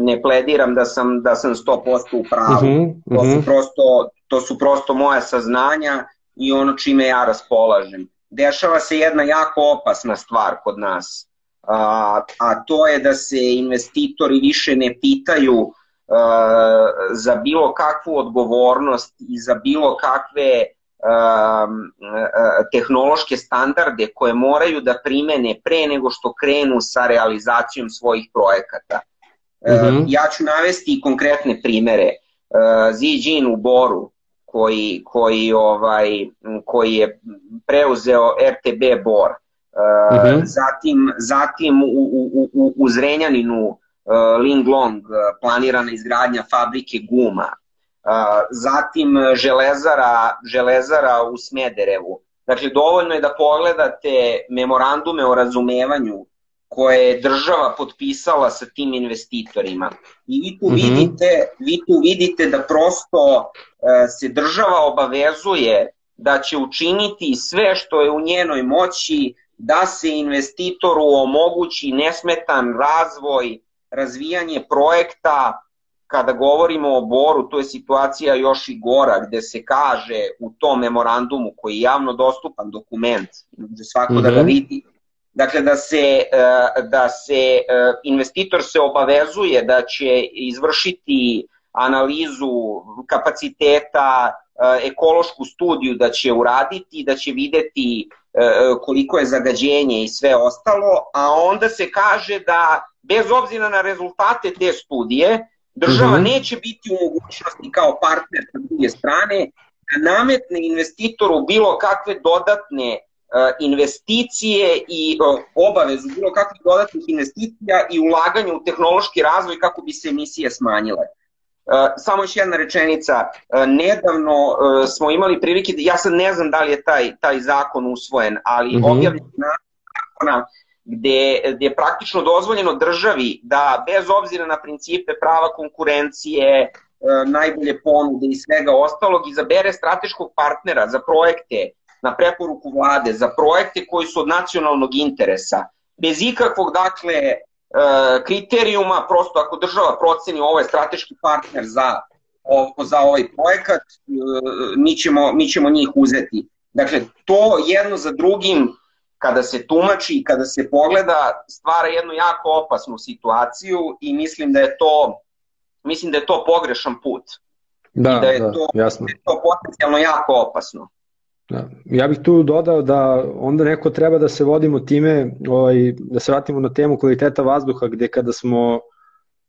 ne plediram da sam, da sam sto posto u pravu. Uh-huh, uh-huh. To, su prosto, to su prosto moja saznanja i ono čime ja raspolažem. Dešava se jedna jako opasna stvar kod nas, a, a to je da se investitori više ne pitaju a, za bilo kakvu odgovornost i za bilo kakve tehnološke standarde koje moraju da primene pre nego što krenu sa realizacijom svojih projekata. Mm-hmm. Ja ću navesti i konkretne primere. Ziđin u Boru koji, koji, ovaj, koji je preuzeo R T B Bor, mm-hmm. zatim, zatim u, u, u, u Zrenjaninu Linglong planirana izgradnja fabrike guma, zatim železara, železara u Smederevu. Dakle, dovoljno je da pogledate memorandume o razumevanju koje je država potpisala sa tim investitorima. I vi tu, mm-hmm. vidite, vi tu vidite da prosto se država obavezuje da će učiniti sve što je u njenoj moći da se investitoru omogući nesmetan razvoj, razvijanje projekta. Kada govorimo o Boru, to je situacija još i gora, gde se kaže u tom memorandumu, koji je javno dostupan dokument, gde svako mm-hmm. da ga vidi, dakle da se, da se investitor se obavezuje da će izvršiti analizu kapaciteta, ekološku studiju da će uraditi, da će videti koliko je zagađenje i sve ostalo, a onda se kaže da bez obzira na rezultate te studije, Država Mhm. neće biti u mogućnosti kao partner sa druge strane da nametne investitoru bilo kakve dodatne uh, investicije i uh, obavezu bilo kakvih dodatnih investicija i ulaganja u tehnološki razvoj kako bi se emisije smanjile. Uh, samo još jedna rečenica, uh, nedavno uh, smo imali prilike, ja sad ne znam da li je taj, taj zakon usvojen, ali Mhm. objavljen zakona gde, gde je praktično dozvoljeno državi da bez obzira na principe prava konkurencije, najbolje ponude i svega ostalog, izabere strateškog partnera za projekte na preporuku vlade, za projekte koji su od nacionalnog interesa, bez ikakvog, dakle, kriterijuma, prosto ako država proceni ovo je strateški partner za, za ovaj projekat, mi ćemo, mi ćemo njih uzeti. Dakle, to jedno za drugim, kada se tumači i kada se pogleda, stvara jednu jako opasnu situaciju i mislim da je to Mislim da je to pogrešan put. Da, I da je da, to, jasno. da je to potencijalno jako opasno. Da. Ja bih tu dodao da onda neko treba da se vodimo time, ovaj, da se vratimo na temu kvaliteta vazduha, gde kada smo,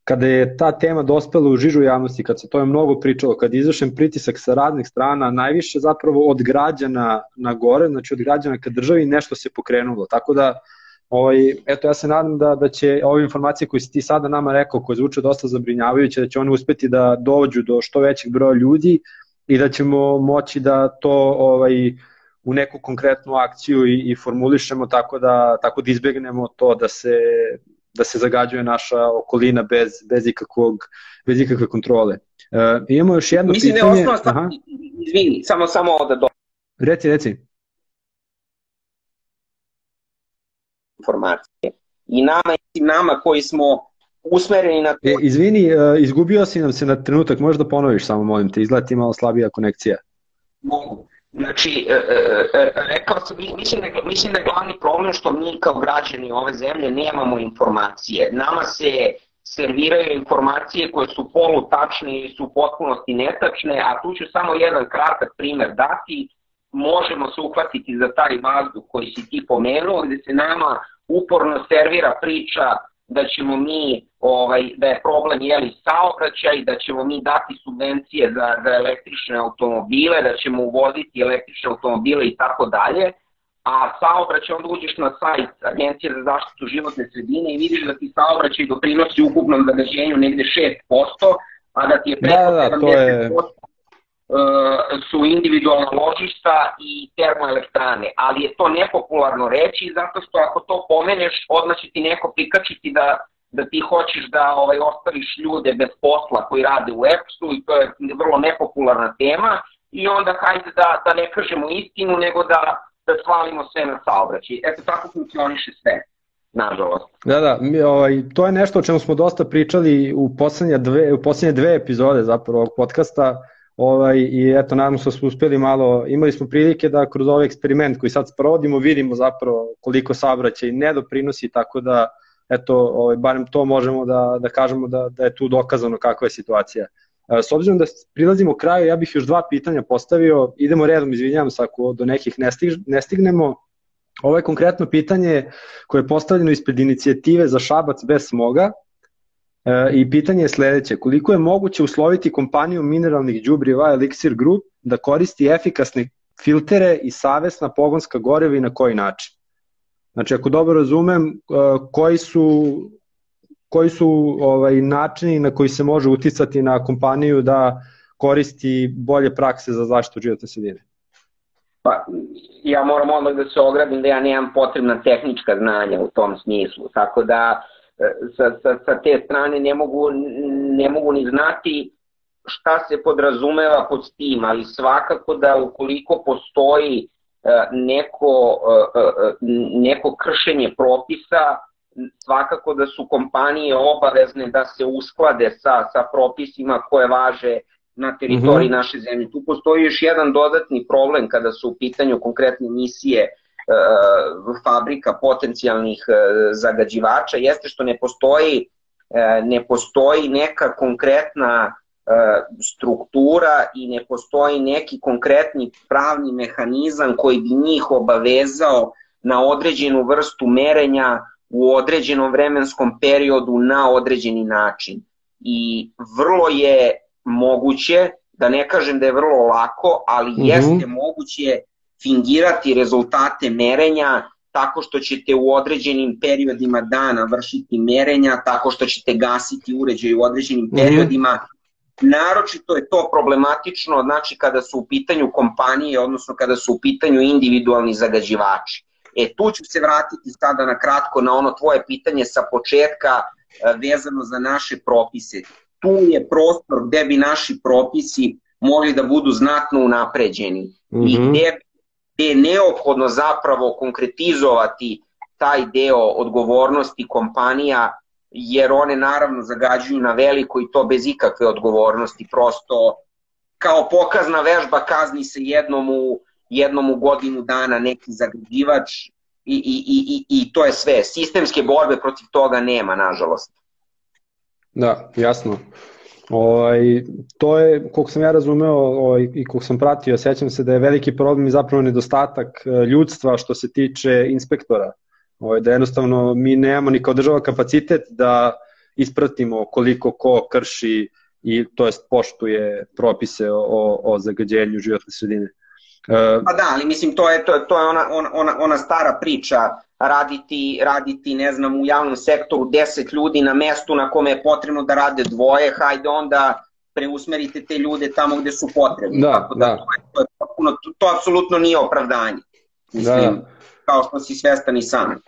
kada je ta tema dospela u žižu javnosti, kad se to je mnogo pričalo, kad je izvršen pritisak sa raznih strana, najviše zapravo od građana na gore, znači od građana ka državi, nešto se pokrenulo. Tako da, ovaj, eto, ja se nadam da, da će ove informacije koje si ti sada nama rekao, koje zvuče dosta zabrinjavajuće, da će one uspeti da dođu do što većeg broja ljudi i da ćemo moći da to ovaj, u neku konkretnu akciju i, i formulišemo tako da, tako da izbegnemo to da se, da se zagađuje naša okolina bez, bez, ikakvog, bez ikakve kontrole. E, imamo još jedno Mislim pitanje. Mislim da je osnovno, izvini, samo, samo da do... Reci, reci. Informacije. I nama, i nama koji smo usmereni na to... E, izvini, izgubio si nam se na trenutak, možeš da ponoviš samo, molim te, izgleda ti malo slabija konekcija. Mogu. Znači, rekao sam, mislim da, mislim da je glavni problem što mi kao građani ove zemlje nemamo informacije. Nama se serviraju informacije koje su polutačne i su u potpunosti netačne, a tu ću samo jedan kratak primer dati. Možemo se uhvatiti za taj vazduh koji si ti pomenuo, gde se nama uporno servira priča da ćemo mi, ovaj, da je problem jeli saobraćaj, da ćemo mi dati subvencije za, za električne automobile, da ćemo uvoziti električne automobile i tako dalje, a saobraćaj, onda uđeš na sajt Agencije za zaštitu životne sredine i vidiš da ti saobraćaj doprinosi ukupnom zagađenju negde šest posto, a da ti je preko da, da, sedamdeset posto su individualna ložišta i termoelektrane, ali je to nepopularno reći zato što ako to pomeneš, odmah će ti neko prikačiti da, da ti hoćeš da ovaj, ostaviš ljude bez posla koji rade u E P S-u i to je vrlo nepopularna tema i onda hajde da, da ne kažemo istinu nego da, da svalimo sve na saobraćaj. Eto tako funkcioniše sve, nažalost. Da, da, mi, ovaj, to je nešto o čemu smo dosta pričali u poslednje dve, u poslednje dve epizode zapravo ovog podcasta. Ovaj, i eto, nadam se da smo uspeli malo, imali smo prilike da kroz ovaj eksperiment koji sad sprovodimo vidimo zapravo koliko saobraćaj ne doprinosi, tako da eto, ovaj, barem to možemo da, da kažemo da, da je tu dokazano kakva je situacija. S obzirom da prilazimo kraju, ja bih još dva pitanja postavio, idemo redom, izvinjavam se ako do nekih ne, stiž, ne stignemo. Ovo je konkretno pitanje koje je postavljeno ispred inicijative za Šabac bez smoga. I pitanje je sledeće, koliko je moguće usloviti kompaniju mineralnih đubriva Elixir Group da koristi efikasne filtere i savesna pogonska goriva i na koji način? Znači, ako dobro razumem, koji su, koji su ovaj, načini na koji se može uticati na kompaniju da koristi bolje prakse za zaštitu životne sredine? Pa, ja moram odmah da se ogradim da ja nemam potrebna tehnička znanja u tom smislu, tako da Sa, sa, sa te strane ne mogu, ne mogu ni znati šta se podrazumeva pod tim, ali svakako da ukoliko postoji neko, neko kršenje propisa, svakako da su kompanije obavezne da se usklade sa, sa propisima koje važe na teritoriji mm-hmm. naše zemlje. Tu postoji još jedan dodatni problem kada su u pitanju konkretne emisije fabrika potencijalnih zagađivača, jeste što ne postoji, ne postoji neka konkretna struktura i ne postoji neki konkretni pravni mehanizam koji bi njih obavezao na određenu vrstu merenja u određenom vremenskom periodu na određeni način. i vrlo je moguće, da ne kažem da je vrlo lako, ali mm-hmm. jeste moguće fingirati rezultate merenja tako što ćete u određenim periodima dana vršiti merenja, tako što ćete gasiti uređaj u određenim periodima. Mm-hmm. Naročito je to problematično, znači kada su u pitanju kompanije, odnosno kada su u pitanju individualni zagađivači. E tu ću se vratiti sada na kratko na ono tvoje pitanje sa početka vezano za naše propise. Tu je prostor gde bi naši propisi mogli da budu znatno unapređeni mm-hmm. i gde, gde je neophodno zapravo konkretizovati taj deo odgovornosti kompanija, jer one naravno zagađuju na veliko i to bez ikakve odgovornosti, prosto kao pokazna vežba kazni se jednom u, jednom u godinu dana neki zagađivač i, i, i, i to je sve. Sistemske borbe protiv toga nema, nažalost. Da, jasno. Ovaj, to je, koliko sam ja razumeo ovaj, i koliko sam pratio, sećam se da je veliki problem i zapravo nedostatak ljudstva što se tiče inspektora. Ovaj, da jednostavno mi nemamo ni kao država kapacitet da ispratimo koliko ko krši i to jest poštuje propise o, o zagađenju životne sredine. Pa da, ali mislim to je, to je, to je ona, ona, ona stara priča, raditi, raditi ne znam u javnom sektoru deset ljudi na mestu na kome je potrebno da rade dvoje, hajde onda preusmerite te ljude tamo gde su potrebni. Da, tako da, da. To, je, to, je potpuno, to, to apsolutno nije opravdanje, mislim, da. Kao što si svestan i sam.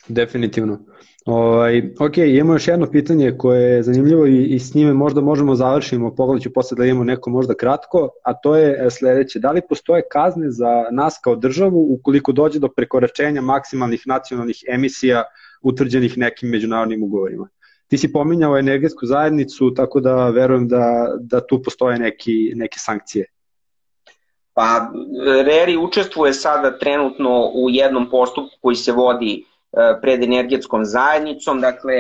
Definitivno. Ovaj, ok, imamo još jedno pitanje koje je zanimljivo i, i s njime možda možemo završimo, pogledat ću posle da imamo neko možda kratko, a to je sledeće. Da li postoje kazne za nas kao državu ukoliko dođe do prekoračenja maksimalnih nacionalnih emisija utvrđenih nekim međunarodnim ugovorima? Ti si pominjao energetsku zajednicu, tako da verujem da, da tu postoje neki, neke sankcije. Pa, R E R I učestvuje sada trenutno u jednom postupku koji se vodi pred energetskom zajednicom, dakle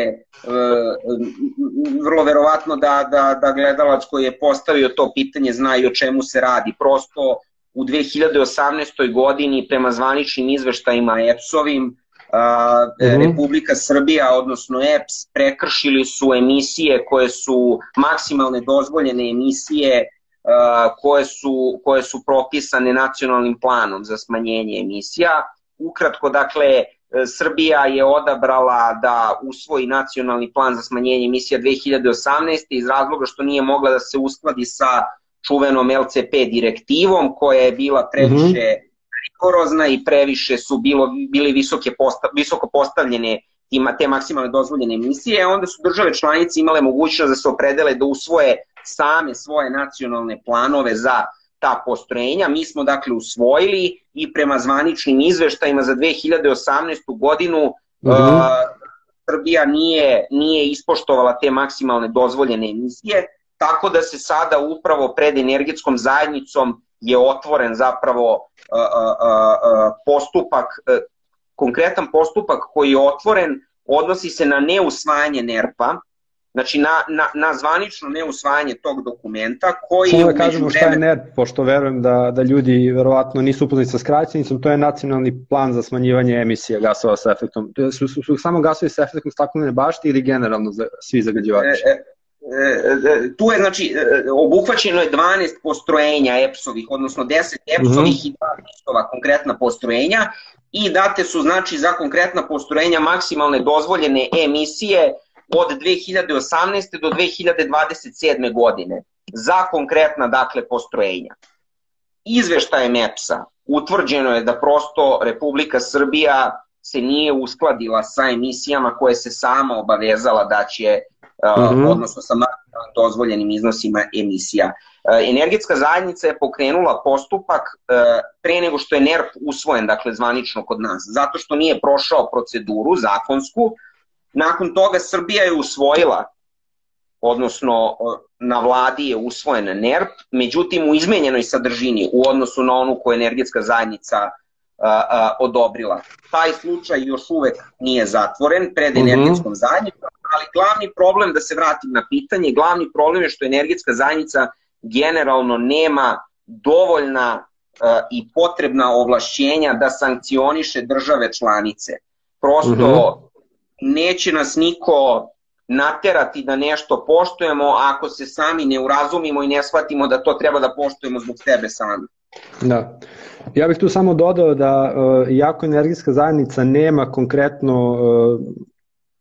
vrlo verovatno da, da, da gledalac koji je postavio to pitanje zna i o čemu se radi. Prosto u dve hiljade osamnaestoj. godini prema zvaničnim izveštajima E P S-ovim mm-hmm. Republika Srbija, odnosno E P S, prekršili su emisije koje su maksimalne dozvoljene emisije koje su, koje su propisane nacionalnim planom za smanjenje emisija. Ukratko, dakle, Srbija je odabrala da usvoji nacionalni plan za smanjenje emisija dve hiljade osamnaeste. iz razloga što nije mogla da se uskladi sa čuvenom L C P direktivom koja je bila previše rigorozna i previše su bilo, bili visoke posta, visoko postavljene ima te maksimalne dozvoljene emisije, onda su države članice imale mogućnost da se opredele da usvoje same svoje nacionalne planove za ta postrojenja. Mi smo dakle usvojili i prema zvaničnim izveštajima za dve hiljade osamnaestu. godinu mm-hmm. uh, Srbija nije, nije ispoštovala te maksimalne dozvoljene emisije, tako da se sada upravo pred energetskom zajednicom je otvoren zapravo uh, uh, uh, postupak, uh, konkretan postupak koji je otvoren odnosi se na neusvajanje N E R P-a, znači na, na, na zvanično neusvajanje tog dokumenta koji... Samo da kažemo šta je N E R P, pošto verujem da, da ljudi verovatno nisu upoznati sa skraćenicom, to je nacionalni plan za smanjivanje emisija gasova sa efektom. Su, su, su samo gasovi sa efektom staklene bašte ili generalno za, svi zagađivači? E, e, e, tu je, znači, obuhvaćeno je dvanaest postrojenja E P S-ovih, odnosno deset E P S-ovih mm-hmm. i dva E P S-ova konkretna postrojenja i date su, znači, za konkretna postrojenja maksimalne dozvoljene emisije od dve hiljade osamnaeste. do dve hiljade dvadeset sedme. godine za konkretna, dakle, postrojenja. Izveštajem E P S-a utvrđeno je da prosto Republika Srbija se nije uskladila sa emisijama koje se sama obavezala da će, mm-hmm. uh, odnosno sa dozvoljenim iznosima emisija. Uh, energetska zajednica je pokrenula postupak uh, pre nego što je N E R P usvojen, dakle, zvanično kod nas, zato što nije prošao proceduru zakonsku. Nakon toga Srbija je usvojila, odnosno na vladi je usvojen N E R P, međutim u izmenjenoj sadržini u odnosu na onu koju energetska zajednica a, a, odobrila. Taj slučaj još uvek nije zatvoren pred energetskom zajednicom, ali glavni problem, da se vratim na pitanje, glavni problem je što energetska zajednica generalno nema dovoljna a, i potrebna ovlašćenja da sankcioniše države članice. Prosto... Mm-hmm. Neće nas niko naterati da nešto poštujemo ako se sami ne urazumimo i ne shvatimo da to treba da poštujemo zbog sebe sami. Da. Ja bih tu samo dodao da uh, iako energetska zajednica nema konkretno uh,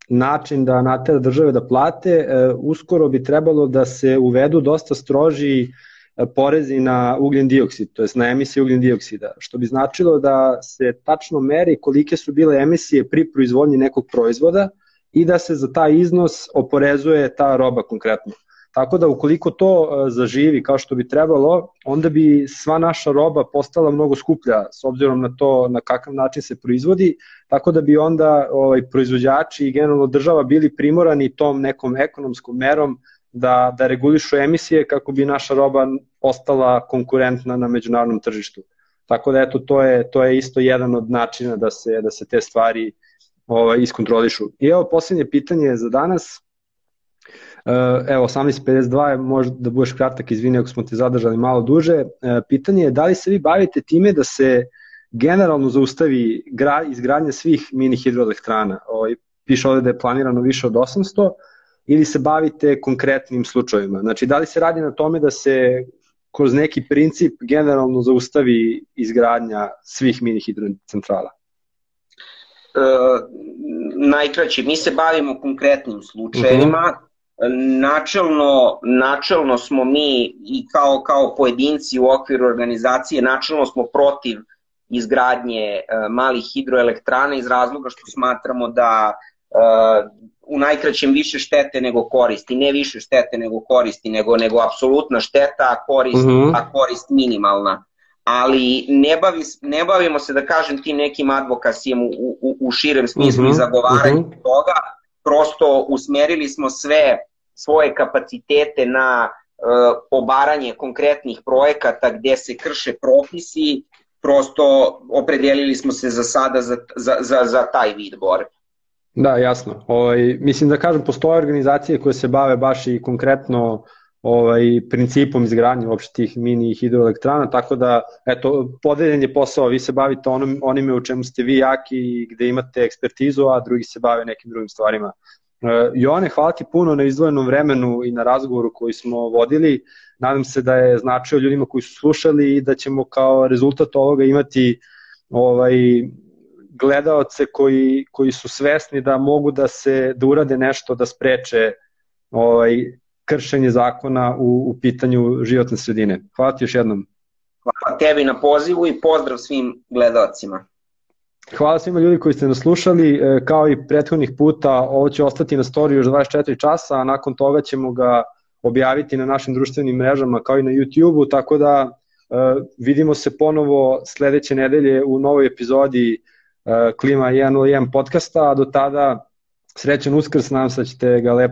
način da natera države da plate, uh, uskoro bi trebalo da se uvedu dosta stroži uh, porezi na ugljen dioksid, to jest na emisije ugljen dioksida, što bi značilo da se tačno meri kolike su bile emisije pri proizvodnji nekog proizvoda i da se za taj iznos oporezuje ta roba konkretno. Tako da ukoliko to zaživi kao što bi trebalo, onda bi sva naša roba postala mnogo skuplja s obzirom na to na kakav način se proizvodi, tako da bi onda ovaj, proizvođači i generalno država bili primorani tom nekom ekonomskom merom da, da regulišu emisije kako bi naša roba ostala konkurentna na međunarodnom tržištu. Tako da eto, to je, to je isto jedan od načina da se, da se te stvari ovaj, iskontrolišu. I evo posljednje pitanje za danas. Evo, osamnaest pedeset dva je, možda da budeš kratak, izvini ako smo te zadržali malo duže. Pitanje je da li se vi bavite time da se generalno zaustavi izgradnja svih mini hidroelektrana? Piše ovde da je planirano više od osamsto, ili se bavite konkretnim slučajevima? Znači, da li se radi na tome da se kroz neki princip generalno zaustavi izgradnja svih mini hidrocentrala? E, najkraće, mi se bavimo konkretnim slučajevima. Uh-huh. Načelno, načelno smo mi i kao, kao pojedinci u okviru organizacije, načelno smo protiv izgradnje uh, malih hidroelektrana iz razloga što smatramo da uh, u najkraćem više štete nego koristi, ne više štete nego koristi, nego, nego apsolutna šteta, a korist, uh-huh. a korist minimalna. Ali ne, bavi, ne bavimo se, da kažem, tim nekim advokasijem u, u, u širem smislu uh-huh. i zagovaranju uh-huh. toga. Prosto usmerili smo sve svoje kapacitete na uh, obaranje konkretnih projekata gdje se krše propisi, prosto opredelili smo se za sada za, za, za, za taj vid borbe. Da, jasno. Ovaj, mislim da kažem, postoje organizacije koje se bave baš i konkretno ovaj, principom izgradnje uopšte tih mini hidroelektrana, tako da, eto, podeljen je posao, vi se bavite onom, onime u čemu ste vi jaki i gde imate ekspertizu, a drugi se bave nekim drugim stvarima. Uh, Joane, hvala ti puno na izdvojenom vremenu i na razgovoru koji smo vodili. Nadam se da je značio ljudima koji su slušali i da ćemo kao rezultat ovoga imati ovaj, gledaoce koji, koji su svesni da mogu da se da urade nešto da spreče ovaj, kršenje zakona u, u pitanju životne sredine. Hvala ti još jednom. Hvala tebi na pozivu i pozdrav svim gledaocima. Hvala svima ljudi koji ste nas slušali, kao i prethodnih puta, ovo će ostati na storiju još dvadeset četiri časa, a nakon toga ćemo ga objaviti na našim društvenim mrežama kao i na YouTube-u, tako da uh, vidimo se ponovo sledeće nedelje u novoj epizodi uh, Klima jedan nula jedan podcasta, a do tada srećan Uskrs, nadam se da ćete ga lepo